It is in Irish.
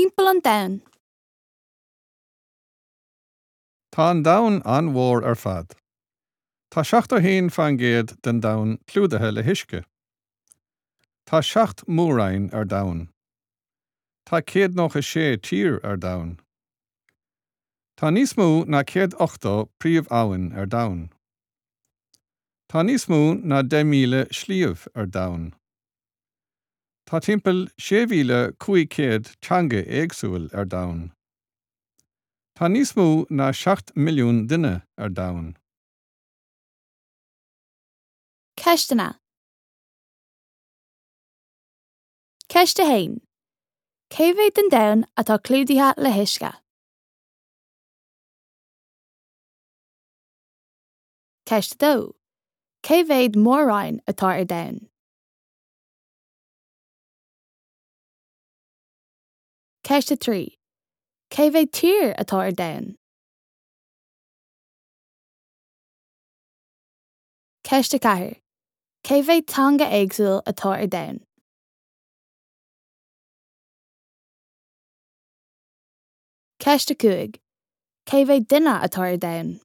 Timpeall an domhain. Tá an domhan an-mhór ar fad. Tá 71% den domhan clúdaithe le huisce. Tá 7 mór-roinn ar domhan. Tá 196 tír ar domhan. Tá níos mó ná 180 príomh-abhainn ar domhan. Tá níos mó ná 10,000 sliabh ar domhan. Tá timpeall 6,500 teanga éagsúil ar domhan. Tá níos mó ná 7 mbilliún duine ar domhan. Ceisteanna. Ceist 1. Cé mhéad den domhan atá clúdaithe le huisce? Ceist 2. Cé mhéad mór-roinn atá ar domhan? Ceist 3. Cé mhéad tír atá ar domhan? Ceist 4. Cé mhéad teanga éagsúil atá ar domhan? Ceist 5. Cé mhéad duine atá ar domhan?